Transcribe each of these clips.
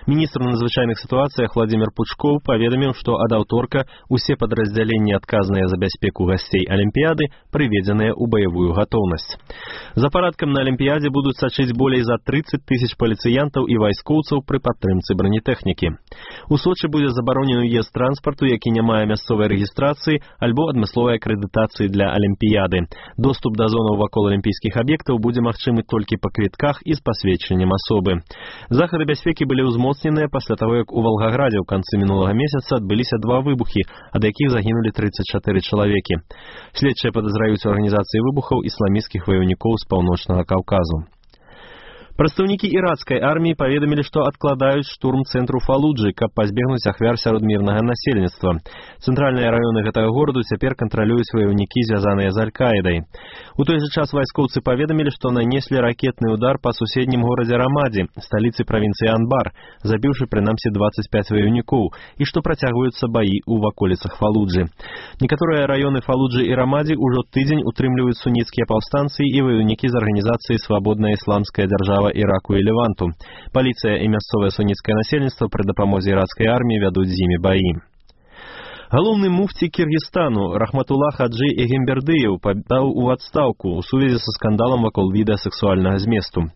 Міністр у надзвычайных сітуацыях Владимир Пучков паведаміў, што ад аўторка усе падраздзяленні, адказныя за бяспеку гасцей Алімпіяды, прыведзеныя ў баявую гатоўнасць. За парадкам на Алімпіядзе будуць сачыць болей за 30 тысяч паліцыянтаў і вайскоўцаў пры падтрымцы бронетэхнікі. У Сочы будзе забаронены ўезд транспарту, які не мае мясцовай рэгістрацыі альбо адмысловай акрэдытацыі для Алімпіяды. Доступ да зонаў вакол алімпійскіх аб'ектаў будзе магчымы толькі па квітках і з пасведчаннем асобы. Захады бяспекі былі ўзмоцненыя пасля таго, як у Валгаградзе ў канцы мінулага месяца адбыліся 2 выбухі, ад якіх загінулі 34 чалавекі. Следчыя падазраюць у арганізацыі выбухаў ісламісцкіх ваяўнікоў з паўночнага Каўказу. Прадстаўнікі іракскай арміі паведамілі, што адкладаюць штурм цэнтру Фалуджы, каб пазбегнуць ахвяр сярод мірнага насельніцтва. Цэнтральныя раёны гэтага гораду цяпер кантралююць ваяўнікі, звязаныя з Аль-Каідай. У той жа час вайскоўцы паведамілі, што нанеслі ракетны удар па суседнім горадзе Рамадзі, сталіцы правінцыі Анбар, забіўшы прынамсі 25 ваяўнікоў, і што працягваюцца баі ў ваколіцах Фалуджы. Некаторыя раёны Фалуджы і Рамадзі ўжо тыдзень утрымліваюць суніцкія паўстанцы і ваяўнікі з арганізацыі «Свабодная ісламская дзяржава Іраку і Леванту. Паліцыя і мясцовае суніцкае насельніцтва пры дапамозе іракскай арміі вядуць з імі баі. Галоўны муфці Кіргізстану Рахматулла Хаджи Эгембердыеў падаў у адстаўку ў сувязі са скандалам вакол відэа сексуальнага зместу.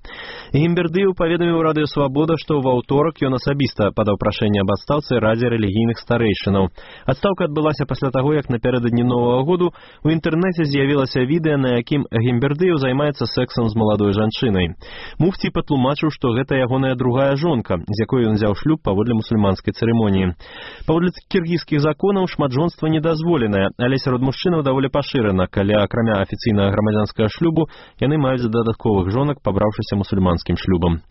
Эгембердыеў паведаміў Радыё Свабода, што ва ўторак ён асабіста падаў прашэнне аб адстаўцы Радзе рэлігійных старэйшынаў. Адстаўка адбылася пасля таго, як напярэдадні Новага году ў інтэрнэце з'явілася відэа, на якім Эгембердыеў займаецца сексам з маладой жанчынай. Муфці патлумачыў, што гэта ягоная другая жонка, з якой ён узяў шлюб паводле мусульманскай цырымоніі. Паводле кіргізскіх законаў шматжонства недозволенае, але сярод мужчынаў даволі пашырана, калі акрамя афіцыйнага грамадзянскага шлюбу яны маюць дадатковых жонак, пабраўшыся мусульманскім шлюбам.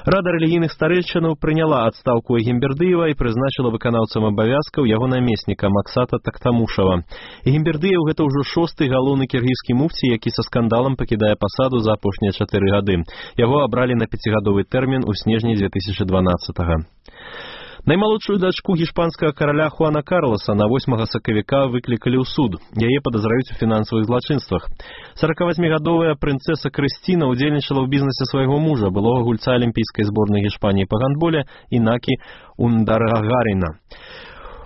Рада рэлігійных старэйшынаў прыняла адстаўку Эгембердыева і прызначыла выканаўцам абавязкаў яго намесніка Максата Тактамушава. Эгембердыеў гэта ўжо 6-й галоўны кіргізскі муфці, які са скандалам пакідае пасаду за апошнія 4 гады. Яго абралі на 5-гадовы тэрмін у снежні 2012-го. Наймалодшую дачку гішпанскага караля Хуана Карлоса на 8 сакавіка выклікалі ў суд. Яе падазраюць у фінансавых злачынствах. 48-гадовая прынцэса Крысціна ўдзельнічала ў бізнесе свайго мужа, былога гульца алімпійскай зборнай Гішпаніі па гандболе Інакі Ундарагаріна.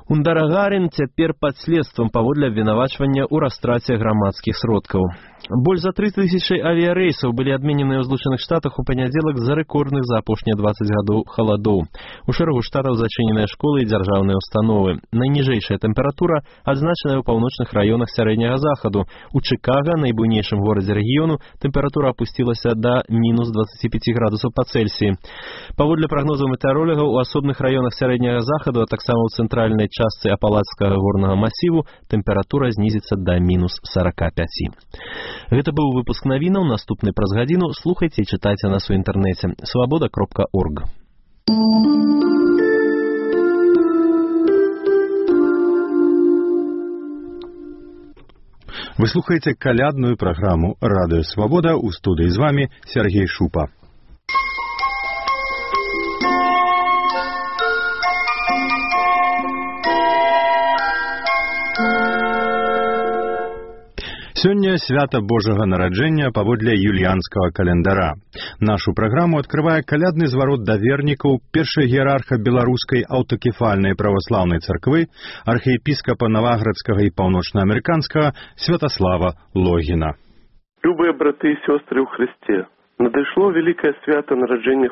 Ундарагарін цяпер пад следствам паводле абвінавачвання ў растраце грамадскіх сродкаў. Больш за 3000 авіярэйсаў былі адмененыя ў Злучаных Штатах у панядзелак з-за рэкордных за апошнія 20 гадоў халадоў. У шэрагу штатаў зачыненыя школы і дзяржаўныя установы. Найніжэйшая тэмпература адзначаная ў паўночных раёнах сярэдняга захаду. У Чыкага, найбуйнейшым горадзе рэгіёну, тэмпература апусцілася да мінус 25 градусаў па Цельсіі. Паводле прагнозаў метэаролягаў, у асобных раёнах сярэдняга захаду, а таксама ў цэнтральнай частцы апалацкага горнага масіву, тэмпература знізіцца да мінус 45. Гэта быў выпуск навінаў, наступны праз гадзіну. Слухайце і чытайце нас у інтэрнэце свабода.орг. Вы слухаеце калядную праграму «Радыё Свабода», у студыі з вамі Сергей Шупа. Сёння свята Божага нараджэння паводле юліянскага календара. Нашу праграму адкрывае калядны зварот да вернікаў першай іерарха беларускай аўтакефальнай праваслаўнай царквы, архіепіскапа Наваградскага і паўночнаамерыканскага Святаслава Логіна. Любыя браты і сёстры ў Христе, надышло великое свято нараджэння